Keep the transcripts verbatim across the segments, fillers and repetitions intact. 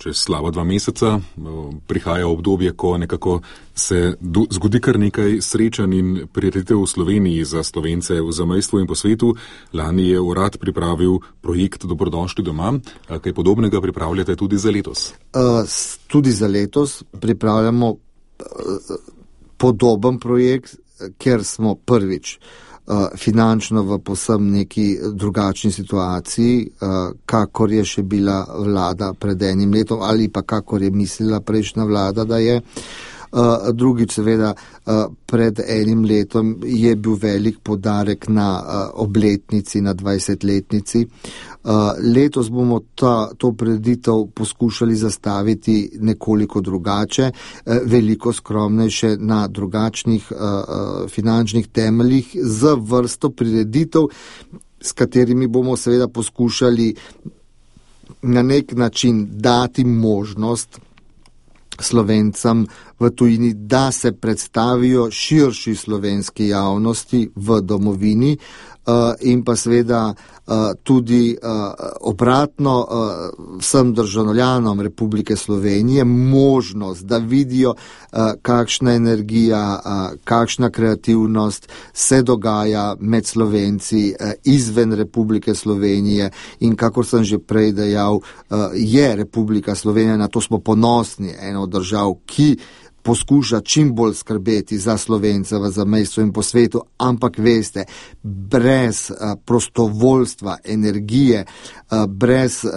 čez slaba dva meseca prihaja obdobje, ko nekako se do, zgodi kar nekaj srečanj in prireditev v Sloveniji za Slovence v zamejstvu in po svetu. Lani je urad pripravil projekt Dobrodošli doma. Kaj podobnega pripravljate tudi za letos? Uh, tudi za letos pripravljamo uh, podoben projekt, ker smo prvič finančno v posem neki drugačni situaciji, kakor je še bila vlada pred enim letom ali pa kakor je mislila prejšnja vlada, da je. Drugič, seveda, pred enim letom je bil velik poudarek na obletnici, na dvajsetletnici. Letos bomo ta, to prireditev poskušali zastaviti nekoliko drugače, veliko skromnejše na drugačnih finančnih temeljih z vrsto prireditev, s katerimi bomo seveda poskušali na nek način dati možnost Slovencem v tujini, da se predstavijo širši slovenski javnosti v domovini uh, in pa seveda uh, tudi uh, obratno uh, vsem državljanom Republike Slovenije možnost, da vidijo, uh, kakšna energija, uh, kakšna kreativnost se dogaja med Slovenci uh, izven Republike Slovenije in kakor sem že prej dejal, uh, je Republika Slovenija, na to smo ponosni, ena od držav, ki poskuša čim bolj skrbeti za Slovence v zamejstvu in po svetu, ampak veste, brez uh, prostovoljstva, energije, uh, brez uh,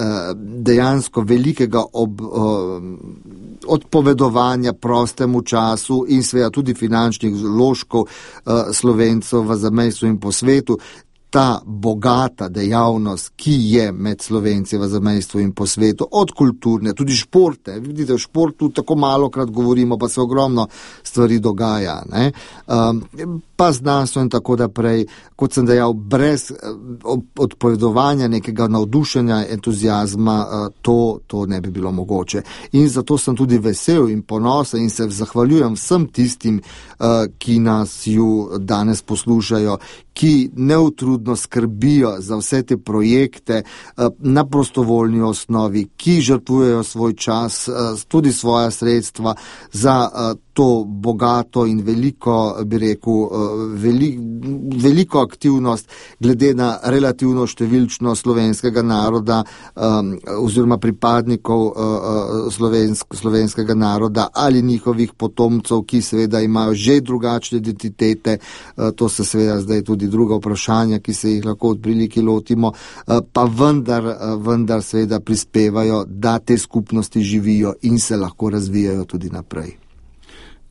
dejansko velikega ob, uh, odpovedovanja prostemu času in seveda tudi finančnih vložkov uh, Slovencev v zamejstvu in po svetu, ta bogata dejavnost, ki je med Slovenci v zamejstvu in po svetu, od kulturne, tudi športe. Vidite, v športu tako malokrat govorimo, pa se ogromno stvari dogaja, ne? Um, pa znanstvo in tako naprej, kot sem dejal, brez odpovedovanja nekega navdušenja, entuzijazma, to, to ne bi bilo mogoče. In zato sem tudi vesel in ponosen in se zahvaljujem vsem tistim, ki nas ju danes poslušajo, ki neutrudno skrbijo za vse te projekte na prostovoljni osnovi, ki žrtvujejo svoj čas, tudi svoja sredstva za to bogato in veliko, bi rekel, veli, veliko aktivnost glede na relativno številčno slovenskega naroda um, oziroma pripadnikov uh, slovensk, slovenskega naroda ali njihovih potomcev, ki seveda imajo že drugačne identitete. Uh, to se seveda zdaj tudi druga vprašanja, ki se jih lahko od prilike lotimo, uh, pa vendar, uh, vendar seveda prispevajo, da te skupnosti živijo in se lahko razvijajo tudi naprej.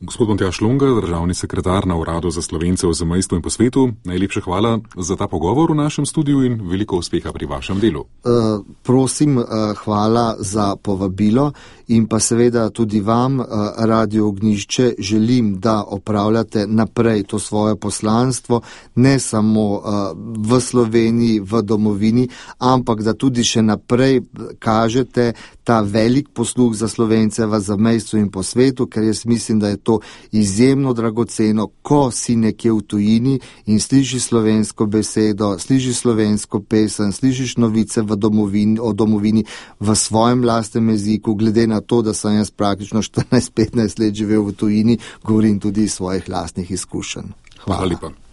Gospod Matjaž Longa, državni sekretar na Uradu za Slovence v zamejstvu in po svetu, najlepša hvala za ta pogovor v našem studiu in veliko uspeha pri vašem delu. Uh, prosim, uh, hvala za povabilo in pa seveda tudi vam, uh, Radio Ognjišče, želim, da opravljate naprej to svoje poslanstvo, ne samo uh, v Sloveniji, v domovini, ampak da tudi še naprej kažete ta velik posluh za Slovence v zamejstvu in po svetu, ker jaz mislim, da je to izjemno dragoceno, ko si nekje v tujini in slišiš slovensko besedo, slišiš slovensko pesem, slišiš novice v domovini, o domovini v svojem lastnem jeziku, glede na to, da sem jaz praktično štirinajst petnajst let živel v tujini, govorim tudi iz svojih lastnih izkušenj. Hvala. Hvala lepa.